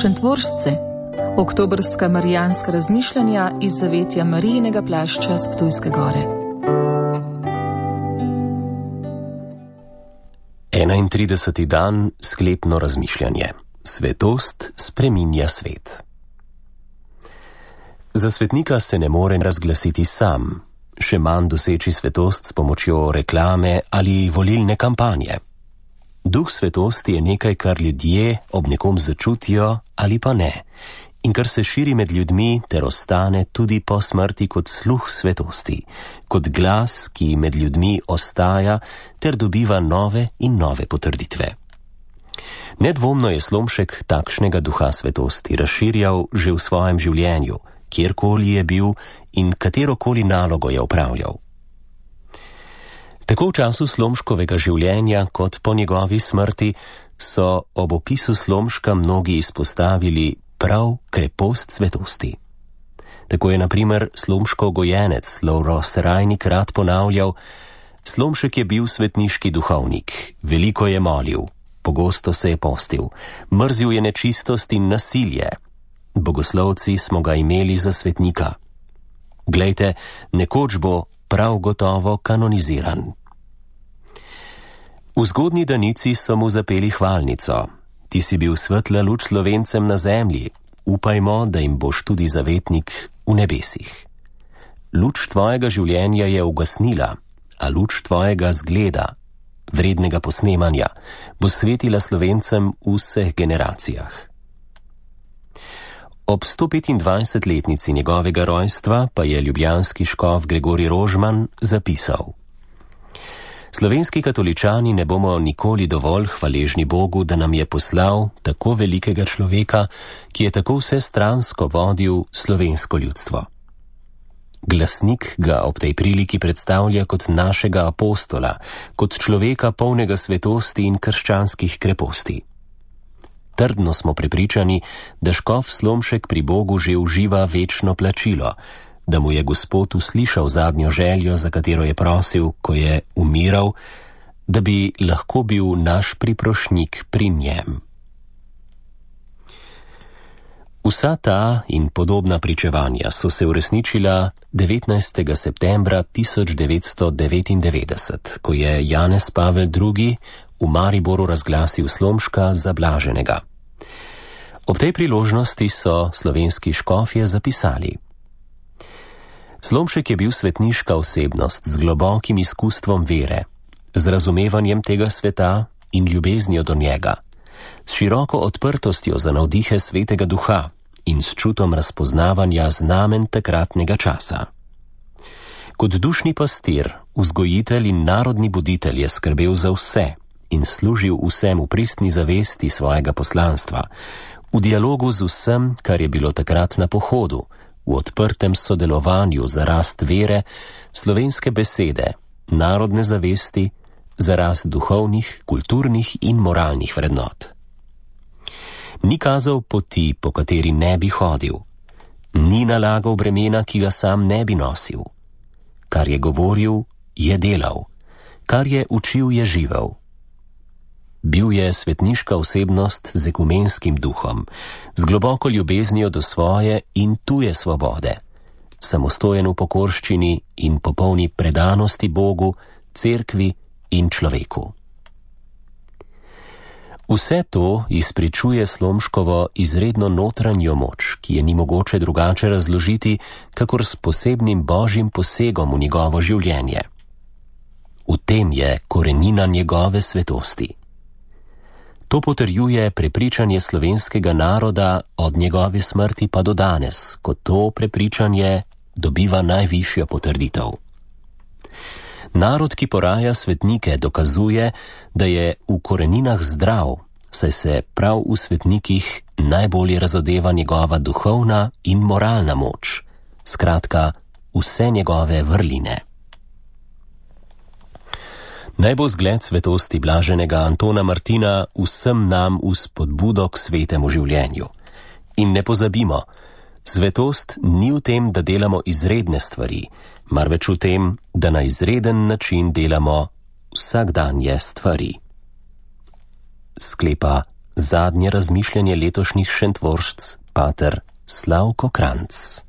Šentvoržci, oktobrska marijanska razmišljanja iz zavetja Marijinega plašča s Ptujske gore. 31. dan, sklepno razmišljanje. Svetost spreminja svet. Za svetnika se ne more razglasiti sam, še manj doseči svetost s pomočjo reklame ali volilne kampanje. Duh svetosti je nekaj, kar ljudje ob nekom začutijo ali pa ne, in kar se širi med ljudmi ter ostane tudi po smrti kot sluh svetosti, kot glas, ki med ljudmi ostaja ter dobiva nove in nove potrditve. Nedvomno je Slomšek takšnega duha svetosti razširjal že v svojem življenju, kjerkoli je bil in katerokoli nalogo je opravljal. Tako v času Slomškovega življenja kot po njegovi smrti so ob opisu Slomška mnogi izpostavili prav krepost svetosti. Tako je na primer Slomškov gojenec Lovro Serajnik rad ponavljal: Slomšek je bil svetniški duhovnik, veliko je molil, pogosto se je postil, mrzil je nečistost in nasilje. Bogoslovci smo ga imeli za svetnika. Glejte, nekoč bo prav gotovo kanoniziran. V zgodnji danici so mu zapeli hvalnico: Ti si bil svetla luč Slovencem na zemlji, upajmo, da jim boš tudi zavetnik v nebesih. Luč tvojega življenja je ugasnila, a luč tvojega zgleda, vrednega posnemanja, bo svetila Slovencem v vseh generacijah. Ob 125-letnici njegovega rojstva pa je ljubljanski škof Gregorij Rožman zapisal: Slovenski katoličani ne bomo nikoli dovolj hvaležni Bogu, da nam je poslal tako velikega človeka, ki je tako vsestransko vodil slovensko ljudstvo. Glasnik ga ob tej priliki predstavlja kot našega apostola, kot človeka polnega svetosti in krščanskih kreposti. Trdno smo prepričani, da škof Slomšek pri Bogu že uživa večno plačilo, da mu je Gospod uslišal zadnjo željo, za katero je prosil, ko je umiral, da bi lahko bil naš priprošnjik pri njem. Vsa ta in podobna pričevanja so se uresničila 19. septembra 1999, ko je Janez Pavel II. V Mariboru razglasil Slomška za blaženega. Ob tej priložnosti so slovenski škofje zapisali: Slomšek je bil svetniška osebnost z globokim izkustvom vere, z razumevanjem tega sveta in ljubeznijo do njega, s široko odprtostjo za navdihe svetega duha in s čutom razpoznavanja znamen takratnega časa. Kot dušni pastir, vzgojitelj in narodni buditelj je skrbel za vse in služil vsem v pristni zavesti svojega poslanstva, v dialogu z vsem, kar je bilo takrat na pohodu, v odprtem sodelovanju za rast vere, slovenske besede, narodne zavesti, za rast duhovnih, kulturnih in moralnih vrednot. Ni kazal poti, po kateri ne bi hodil, ni nalagal bremena, ki ga sam ne bi nosil. Kar je govoril, je delal, kar je učil, je živel. Bil je svetniška osebnost z ekumenskim duhom, z globoko ljubeznijo do svoje in tuje svobode, samostojen v pokorščini in popolni predanosti Bogu, cerkvi in človeku. Vse to izpričuje Slomškovo izredno notranjo moč, ki je ni mogoče drugače razložiti, kakor s posebnim božjim posegom v njegovo življenje. V tem je korenina njegove svetosti. To potrjuje prepričanje slovenskega naroda od njegove smrti pa do danes, ko to prepričanje dobiva najvišjo potrditev. Narod, ki poraja svetnike, dokazuje, da je v koreninah zdrav, saj se prav v svetnikih najbolje razodeva njegova duhovna in moralna moč, skratka, vse njegove vrline. Naj bo zgled svetosti blaženega Antona Martina vsem nam v spodbudo k svetemu življenju. In ne pozabimo, svetost ni v tem, da delamo izredne stvari, marveč v tem, da na izreden način delamo vsakdanje stvari. Sklepa Zadnje razmišljanje letošnjih šentvoršc, pater Slavko Kranjc.